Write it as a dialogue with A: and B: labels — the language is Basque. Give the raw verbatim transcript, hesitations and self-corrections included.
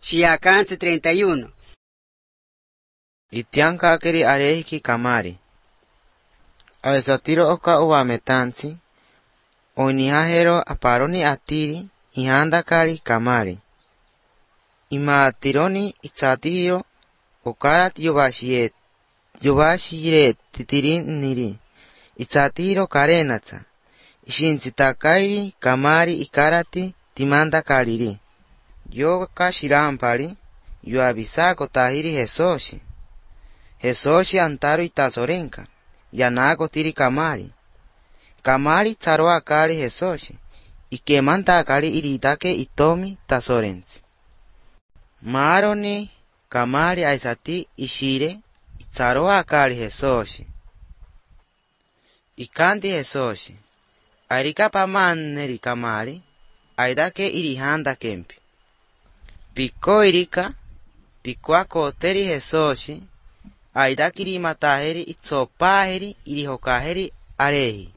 A: Shiakansi treinta y uno.
B: Itiankakeri arehiki kamari. Awesatiro oka uwametansi. Onihahero aparoni atiri ihandakari kamari. Imaatironi itsatiro okarat yobashiet. Yobashiret titiriniri. Itsatiro karenatsa. Ishintsitakairi kamari ikarati timanda kariri. Yoka shirampari. Yoabisako tahiri Hesoshi. Hesoshi antaro itazorenka. Yanako tiri kamari. Kamari tsaro akari Hesoshi. Ikemanta akari iritake itomi tazorensi. Maroni kamari aisati ishire. Tsaro akari Hesoshi. Ikanti Hesoshi. Arika pamaneri kamari. Aidake irihanda kempi. Piko irika. Pikwako teri Hesoshi. Aidakiri mataheri itsopaheri irihokaheri arehi.